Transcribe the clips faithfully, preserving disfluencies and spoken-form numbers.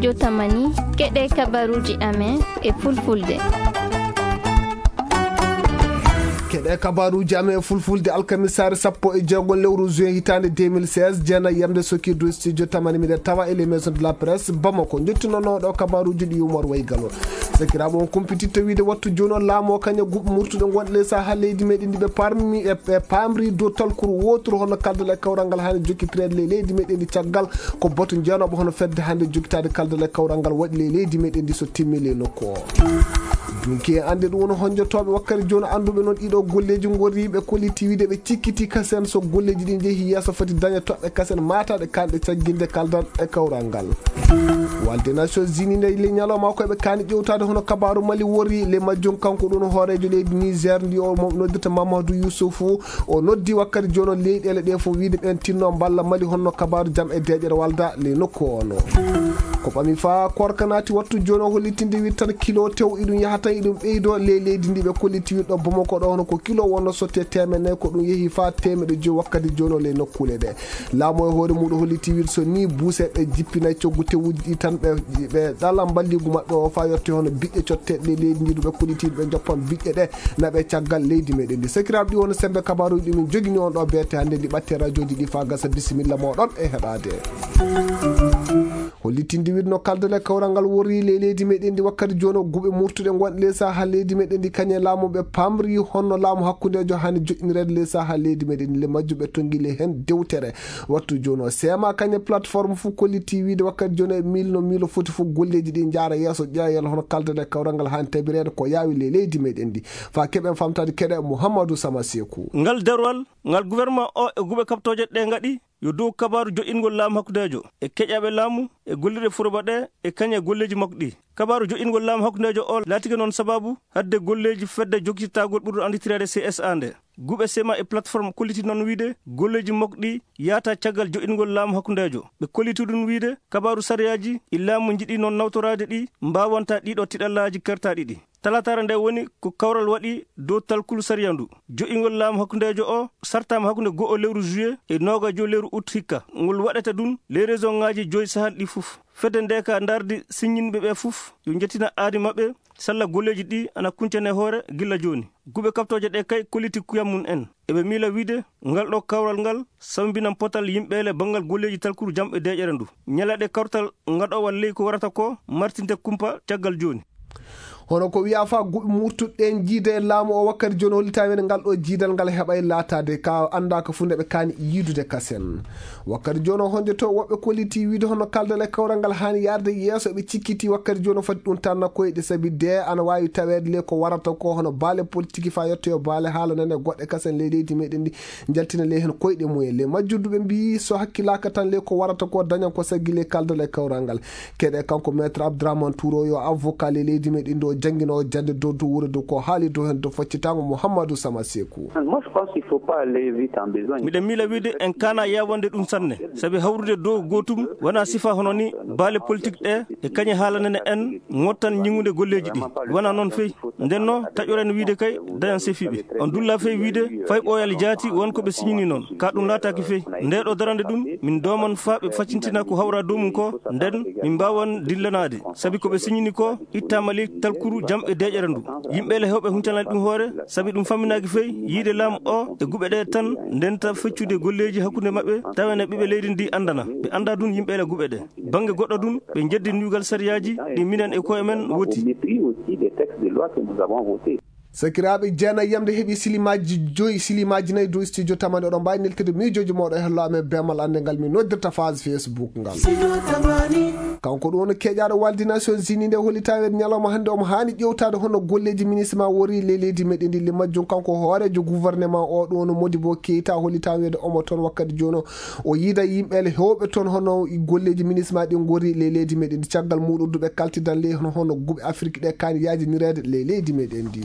Jotamani, keɗe kabaruuji amen e fulfulde. Keɗe kabaruuji amen e fulfulde alkamisaare sappo e jeego lewru juin hitaande deux mille seize, jeenayi yamde sokirdu studio tamani miɗen tawa e les maisons de la presse Bamako. Njottinooɗo kabaruuji ɗi Umar Waygalo. Sakiraaɓe, on kumpititta wiide wattu jooni o laamu o kañum e guɓe murtuɗe gonɗe ley sahaa leydi meɗen ndi ɓe parmi e, e paamri dow talkuru wooturu hono kaldal e kawral ngal haani jokkitireede ley leydi meɗen ndi caggal ko batu jeenooɓo hono fedde hannde jokkitaade kaldal e kawral ngal waɗi ley leydi meɗen ndi so timmi ley nokku o. Dunki e annde ɗum woni honjotooɓe wakkati jooni annduɓe noon ɗiɗo golleeji ngorri ɓe kolliti wiide ɓe cikkiti kasen so golleeji ɗi njehi yeeso foti daña toɓɓe kasen maataɗe kanɗe cagginde kaldal e kawral ngal. Walde Nations Unies nde le ñalawma ko ɓe kaani ƴewtaade hono kabaaru Mali wori le majjum kanko ɗum hooreejo leydi Niger ndi o mo-, noddirta Mamadou Youssoufou. O noddi wakkati jooni o leyɗeele ɗe fof wiide ɓeen tinno mballa Mali honno kabaaru jam e deeƴere walda le nokku ono. Ko ɓami fa korka naati wattu jooni o hollitinde wiide tan kilo tew iɗum yaha tan iɗum ɓeydo le leydi ndi ɓe kolliti wiide ɗo Bamako ɗo hono ko kilo wonno sotte teemeɗe nayi ko ɗum yehi fa teemeɗe joyi wakkati jooni o le nokkuule ɗe. Laamu e hoore muɗum holliti wiide so ni buuseɓe jippinay coggu tewuji ɗi tan ɓe, ɓe ɗala mballigu maɓɓe o fa yotti hono biƴƴe cotteɗe ley leydi ndi ɗum ɓe kolliti ɓe joppan biƴƴe ɗe naɓe caggal leydi meɗen ndi. Sakiraaɓe ɗi woni sembe kabaruji ɗi min jogini on ɗo beete hannde ndi ɓatte radioji ɗi fa gasa bisimilla moɗon e heɗade. Hollitinde wiide no kaldal e kawral ngal worri ley leydi meɗen ndi wakkati jooni o guɓe murtuɗe gonɗe ley saha leydi meɗen ndi kañe laamu ɓe pamri honno laamu hakkundejo hani joɗɗinireede ley saha leydi meɗen ndi le majjuɓe tonngile heen dewtere. Wattu jooni o seema kañe plateforme fof kolliti wiide wakkati jooni e miilo no miilo foti fof golleeji ɗi njaara yeeso ƴeewal hono kaldal e kawral ngal haani tabireede ko yaawi ley leydi meɗen ndi. Fa keɓen famtaade keɗe Mouhamadou Sama Sekou. Ngal darwal ngal gouvernement o e guɓe kaɓtooje ɗe ngaɗi yo dow kabaaru joɗɗingol laamu hakkundeejo e keƴaaɓe laamu e gollirɗe foroba ɗe e kañe golleeji makko ɗi. Kabaaru joɗɗingol laamu hakkundeejo o laatike noon sababu hadde golleeji fedde jokkitagol ɓurɗo annditireede C S A nde. Guɓe sema e plateforme kolliti noon wiide golleeji makko ɗi yaata caggal joɗɗingol laamu hakkundeejo. Ɓe kolliti ɗum wiide kabaaru sariyaaji ɗi laamu njiɗi noon nawtoraade ɗi mbaawanta ɗiɗo tiɗallaaji kertaaɗi ɗi. Talataare nde woni ko kawral waɗi dow talkulu sariya ndu. Joɗɗingol laamu hakkundeejo o sartaama hakkunde go'o lewru juillet e noogajo lewru août hikka. Ngol waɗata ɗum ley région ŋaaji joyi Sahel ɗi fof. Fedde nde ka ndardi siññinɓe ɓe fof yo njettina aadi maɓɓe salla golleeji ɗi ana kuncane hoore gilla jooni. Guɓe kaɓtooje ɗe kay kolliti kuyam mum en. Eɓe miila wiide ngal ɗo kawral ngal sambinan potal yimɓeele banngal golleeji talkuru jam e deeƴere ndu. Ñalaɗe kawtal ngaɗowal ley ko warata ko martinte kumpa caggal jooni. Hono ko wiya fa guɓe murtuɗen jiida e laamu o wakkati jooni hollita wene ngal ɗo jiidal ngal heɓay laataade ka anndaaka fu nde ɓe kaani yiidude kasen. Wakkati jooni o honjoto woɓɓe kolliti wiide hono kaldal e kawral ngal haani yarde yeeso ɓe cikkiti wakkati jooni o foti ɗum tanna koyɗe sabi de ana waawi taweede le ko warata ko hono baale politique fa yettoyo baale haala nane goɗɗe kasen ley leydi meɗen ndi njaltina ley heen koyɗe mumen. Ley majjudduɓe mbiyi so hakkilaaka tan ley ko warata ko dañan ko saggi ley kaldal e kawral ngal. Keɗe kanko Maître Abdourahmane Touro yo avocat ley leydi meɗen ndi o janngino o jannde dow dow wuro dow ko haali dow heen dow faccitango Mouhamadou Sama Sekou. Moi, je pense qu'il faut pas aller vite en besogne. Miɗen miila wiide en kana yawande ɗum sanne, sabi hawrude dow gootum wona sifa hono ni baale politique ɗe e kañe haalanene en ngottan ñiŋude golleeji ɗi. Wona noon fey. Nden no taƴoren wiide kay dañan sefiɓe. On dulla fey wiide fay ɓooyal jaati won ko ɓe siñini noon. Ka ɗum laataaki fey. Nde ɗo darande ɗum, min dooman faa ɓe faccintina ko hawra dow mum ko, nden min mbaawan dillanaade. Sabi ko ɓe siñini ko, ittaama ley talkuru jam e deeƴere ndu. Yimɓe le hewɓe huncanaade ɗum hoore, sabi ɗum famminaaki fey, yiide laamu o e guɓe ɗe tan, ndenta feccude golleeji hakkunde maɓɓe, tawa ne ɓiɓɓe leydi ndi anndana. Ɓe annda ɗum yimɓe le guɓe ɗe. Bannge goɗɗo ɗum, ɓe njeddi ndugal sariyaaji ɗi minen e koye men woti. Au mépris aussi des textes de loi que nous avons votés. Sakiraaɓe, jeenayi yamde heɓi silimaaji joyi, silimaaji nayi dow studio tamani. Oɗon mbaawi neltude miijooji mooɗon e hello amen beemal annde ngal min noddirta phase Facebook ngal. Kanko ɗum woni keƴaaɗo Waldi Nations Unies nde hollita wiyde ñalawma hannde omo haani ƴeewtaade hono golleeji ministre ma wori ley leydi meɗen ndi. Le majjum kanko hooreejo gouvernement o ɗum woni Modibo Keita hollita wiyde omo toon wakkati jooni o. O yiida yimɓe le heewɓe toon hono golleeji ministre ma ɗi ngori ley leydi meɗen ndi. Caggal muɗum duɓe kaltidan ley hono, hono guɓe Afrik ɗe kaani yaajinireede ley leydi meɗen ndi.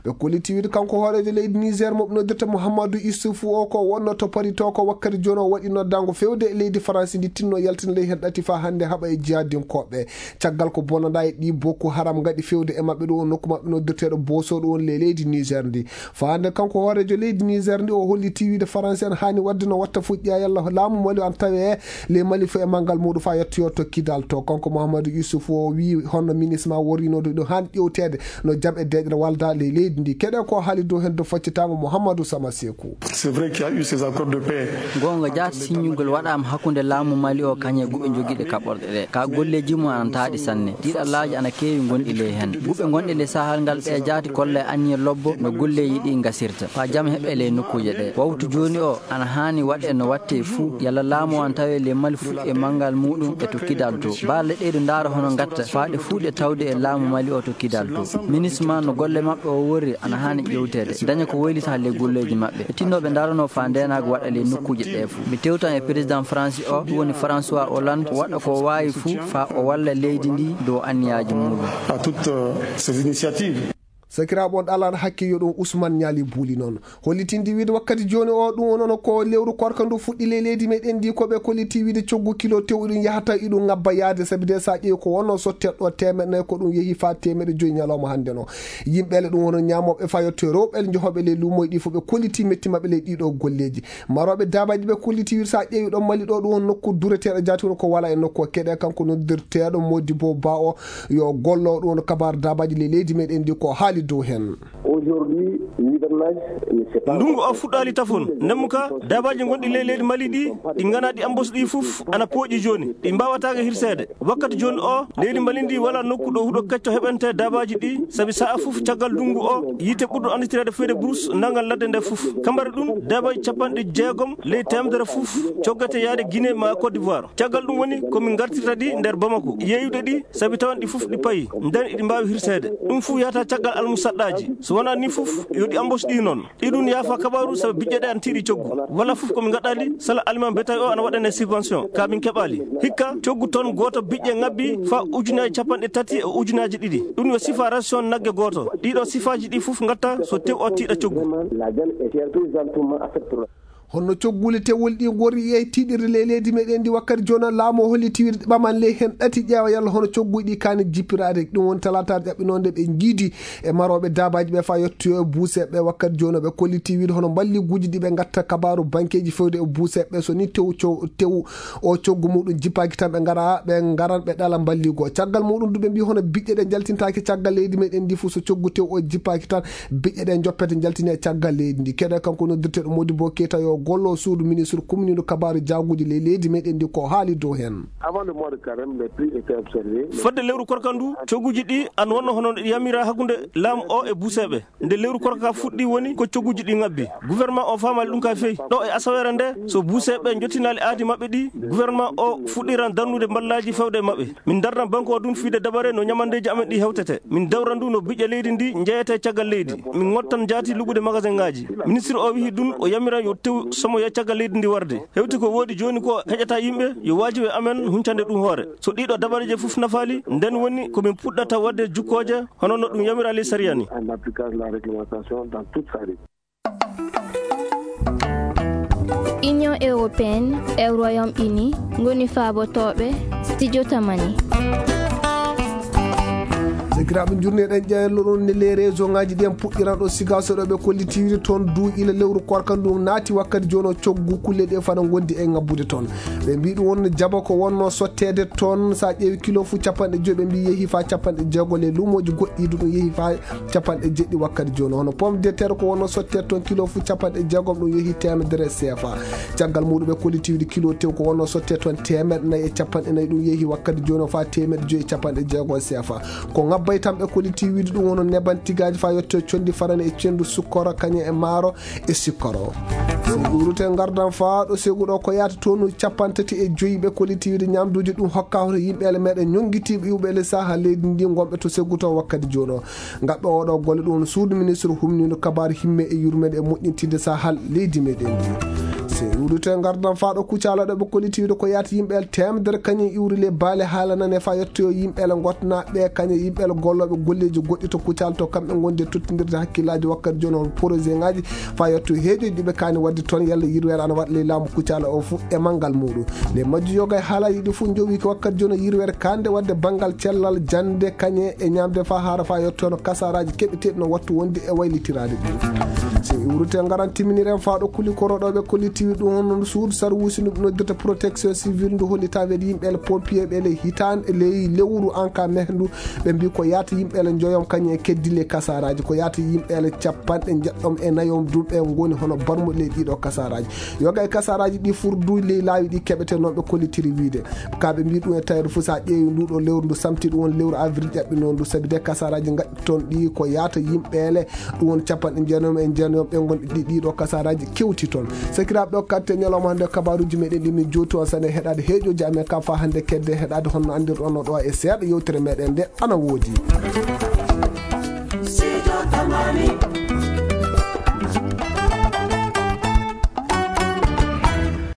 Ɓe kolliti wiide kanko hooreejo leydi Niger mo ɓe noddirta Mouhamadou Issoufou o ko wonno to Paris to ko wakkati jooni o waɗi noddaango fewde e leydi Faransi ndi tinno yaltina ley heen ɗati faa hannde haɓa e jihadinkooɓe. Caggal ko bonanɗaa e ɗi Boko Haram ngaɗi fewde e maɓɓe ɗo on nokku maɓɓe noddirteeɗo Boso ɗo on le-, leydi Niger ndi. Faande kanko hooreejo leydi Niger ndi o holliti wiide Faransi en haani waɗde no watta fuɗɗi a yalla laamu Mali an tawe le Mali fo e manngal muɗum fa yettoyo to Kidal to. Kanko Mouhamadou Youssouf o wi honno minisma worrinooɗo ɗo haani ƴewteede no jam e deeƴre walda le leydi ndi. Keɗe ko haali dow hen do faccitaango Mouhamadou Sama Sekou. C'est vrai qu'il y a eu ces accords de paix. Goonga jaati, siññugol waɗaama hakkunde laamu Mali o kañe guɓe jogiiɗe kaɓorɗe ɗe. Ka golleeji mum ana taaɗi sanne. Tiiɗallaaji ana keewi gonɗi ley heen. Guɓe gonɗe ley Sahel ngal ɓe jaati kolla e anniya lobbo no golleeji ɗi ngasirta. Faa jam heɓe ley nokkuuje ɗe. Wawtu jooni o ana haani waɗe no watte fuu. Yalla laamu o ana tawe ley Mali fuu e manngal muɗum e to Kidal to. Baalle ɗe ɗo ndaara hono ngatta faa ɗe fuu ɗe tawde e laamu Mali o to Kidal to. Minisma no golle maɓɓe o worri ana haani ƴewteede. Daña ko waylita ley golleeji maɓɓe. Ɓe tinno ɓe ndarono faa ndeenaagu waɗa ley nokkuuje ɗe fuu. Mi tewtan e président France o, ɗum woni François Hollande, waɗa ko waawi fuu faa o walla leydi ndi dow anniyaaji muɗum. À toutes, euh, ces initiatives. Sakiraaɓe on ɗalan hakke yo ɗum Ousmane Ñaali Buuli noon. Hollitindi wiide wakkati jooni o ɗum onon ko lewru korka ndu fuɗɗi ley leydi meɗen ndi ko ɓe kolliti wiide coggu kilo tew iɗum yahata iɗum ngabba yaade sabi de sa ƴeewi ko wonno sotte ɗo teemeɗe nayi ko ɗum yehi faa teemeɗe joyi ñalawma hannde no. Yimɓe le ɗum woni ñaamooɓe fayotto e rewɓe le njohoɓe ley luumoy ɗi fof ɓe kolliti metti maɓɓe ley ɗiɗo golleeji. Marooɓe daabaaji ɓe kolliti wir sa ƴeewi ɗo Mali ɗo ɗum woni nokku dureteeɗo jaati woni ko wala e nokku o keɗe kanko noddirteeɗo Modibo Ba o yo gollo ɗum woni kabaar daabaaji ley leydi meɗen ndi ko haali dow heen. Aujourd'hui, l'hivernage ne s'est pas Ndungu o fuɗɗaali tafon. Ndemmu ka, daabaaji gonɗi ley leydi Mali ɗi, ɗi ngana ɗi ambos ɗi fof, ana pooƴi jooni. Ɗi mbaawataake hirseede. Wakkati jooni o, leydi Mali ndi wala nokku ɗo huɗo kecco heɓante daabaaji ɗi, sabi sa'a fof caggal ndungu o, yiite ɓurɗo annditireede feyde Bruce nangal ladde nde fof. Kambari ɗum, daabaaji capanɗe jeegom ley teemedere fof coggete yaade Guinée ma Côte d'Ivoire. Caggal ɗum woni ko min ngartirta ɗi nder Bamako, yeeyude ɗi, sabi tawan ɗi fof ɗi payi, nden iɗi mbaawi hirseede. Ɗum fof yahata caggal almusaɗɗaaji. So wonaa ni fof, yo ɗi embauche ɗi noon. Iɗum yaafa kabaaru sabu biƴƴe ɗe ana tiiɗi coggu. Wala fof ko min ngaɗaali, sala aliment bétail o ana waɗane subvention, ka min keɓaali. Hikka, coggu ton gooto biƴƴe ngabbi faa ujunaaji capanɗe tati e ujunaaji ɗiɗi. Ɗum yo sifa ration nagge gooto. Ɗiɗo sifaaji ɗi fof ngatta so tew o tiiɗa coggu. Vraiment, la viande est très présentement affectée. Honno coggule tewol ɗi ngori e tiiɗirde ley leydi meɗen ndi wakkati jooni laamu o holliti wiide ɓaman ley heen ɗati ƴeewa yalla hono cogguji ɗi kaani jippiraade. Ɗum woni talaata jaɓɓinoonde ɓe njiidi e marooɓe daabaaji ɓe faa yettoyo e buuseeɓe ɓe wakkati jooni ɓe kolliti wiide hono mballiguuji ɗi ɓe ngatta kabaaru bankeeji fewde e buuseeɓe ɓe so ni tew co-, tew o coggu muɗum jippaaki tan ɓe ngara, ɓe ngaran ɓe ɗala mballigu o. Caggal muɗum du ɓe mbii hono biƴƴe ɗe njaltintaake caggal leydi meɗen ndi fof so coggu tew o jippaaki tan biƴƴe ɗe njoppete njaltine e caggal leydi ndi. Keɗe kanko noddirteeɗo Modibo Keita yo gollo suudu ministre kumniiɗo kabaaru jaaguuji ley leydi meɗen ndi ko haali dow heen. Avant le mois de carême, les prix étaient observés. Fodde lewru korka ndu, cogguji ɗi an wonno hono ɗi yamira hakkunde laamu o e buuseeɓe. Nde lewru korka ka fuɗɗi woni ko cogguji ɗi ngabbi. Gouvernement o faamaali ɗum ka feyi. Ɗo e asaweere nde, so buuseeɓe njottinaali aadi maɓɓe ɗi, gouvernement o fuɗɗiran darnude mballaaji fewde e maɓɓe. Min darnan banque o ɗum fiyde dabare no ñamandeeji amen ɗi hewtete. Min dawran ɗum no biƴƴe leydi ndi njeyete caggal leydi. Min ngottan jaati luɓude magasin ngaji. Ministre o wihi ɗum o yamiran yo tew somoya caggal leydi ndi warde. Hewti ko woodi jooni ko heƴata yimɓe yo waajibe amen huncande ɗum hoore. So ɗiɗo dabareeje fof nafaali, nden woni ko min puɗɗata waɗde jukkooje hono no ɗum yamiraali sariya ni. En application de la réglementation dans toute sa rigueur. Union européenne e Royaume-Uni ngoni faabotooɓe studio Tamani. Sakiraaɓe, njurneɗen ƴeewlo ɗon ne les région ngaji ɗi en puɗɗiran ɗo Sigaso ɗo ɓe kolliti wiide toon du ila lewru korka ndu naati wakkati jooni o coggu kulle ɗe fana ngondi e ngabbude toon. Ɓe mbii ɗum wonno jaba ko wonno sotteede toon, so a ƴeewi kilo fof capanɗe joyi, ɓe mbii yehi faa capanɗe jeego, les luumooji goɗɗi du ɗum yehi faa capanɗe jeɗɗi wakkati jooni. Hono pomme de terre ko wonno sotteede toon kilo fof capanɗe jeegom, ɗum yehi teemedere C F A. Caggal muɗum ɓe kolliti wiide kilo tew ko wonno sotteede toon teemeɗɗe nayi e capanɗe nayi, ɗum yehi wakkati jooni o faa teemeɗɗe joyi e capanɗe jeego C F A. Ko ngabbay tan ɓe kolliti wiide ɗum wonno neban tigaaji faa yetto e conndi farani e cenndu sukkoro kañum e maaro e sikkoro. Ɗum ɗuurute ngardan faa ɗo segu ɗo ko yaata tonu capanɗe tati e joyi ɓe kolliti wiide ñamduuji ɗum hokka hoto yimɓe ele meɗen ñonngitiiɓe iwɓe ele saha leydi ndi ngonɓe to segu to wakkati jooni o. Ngaɓɓe oɗo golle ɗum suudu ministre humniiɗo kabaaru himme e yurmeende e moƴƴintinde sahal leydi meɗen ndi. Iwrite ngardan faa ɗo Kucala ɗo ɓe kolliti wiide ko yaata yimɓe el temedere kañum iwri le baale haala nane faa yettoyo yimɓe el ngotnaaɓe kañum yimɓe el gollooɓe golleeji goɗɗi to Kucala to kamɓe ngonde tottindirde hakkillaaji wakkati jooni on projet ŋaaji faa yetto heejo ɗiɓe kaani waɗde toon yalla yirweere ana waɗa ley laamu Kucala o fof e manngal muɗum. Nde majju yoga e haalaaji ɗi fof njowi ko wakkati jooni yirweere kande waɗde banngal cellal jannde kañe e ñaamde faa haara faa yettono kasaraaji keɓeteeɗi no wattu wonde e waylitiraade ɗi. So iwrite ngaran timminiren faa ɗo kuli koroɗooɓe kollitiwi ɗum hono suudu sarwusi no noddirta protection civile ndu hollitaa weede yimɓe ele pompier ɓe ele hitaande ley lewru anka mehndu ɓe mbi ko yaata yimɓe ele njoyom kañum e keddile kasaraaji ko yaata yimɓe ele capanɗe njeɗɗom e nayom du ɓe ngoni hono barmuɗe ley ɗiɗo kasaraaji yoga e kasaraaji ɗi furdu ley laawi ɗi keɓete noon ɓe kollitiri wiide ka ɓe mbi ɗum e tawede fof so a ƴeewi nduɗo lewru ndu samti ɗum won lewru avril ƴaɓɓi noon ndu sabi de kasaraaji gaɗɗi toon ɗi ko yaata yimɓe ele ɗum won capanɗe jeenom e jeenom ɓe gonɗi ɗi ɗiɗo kasaraji kewti toon sakiraɓe ɗo katte ñalawma hannde kabaruji meɗen ɗi min jowti on sane heɗade heeƴoji amen kam fa hannde kedde heɗade honno andirɗon no ɗo e seeɗa yewtere meɗen nde ana woodi Sijo Tamani.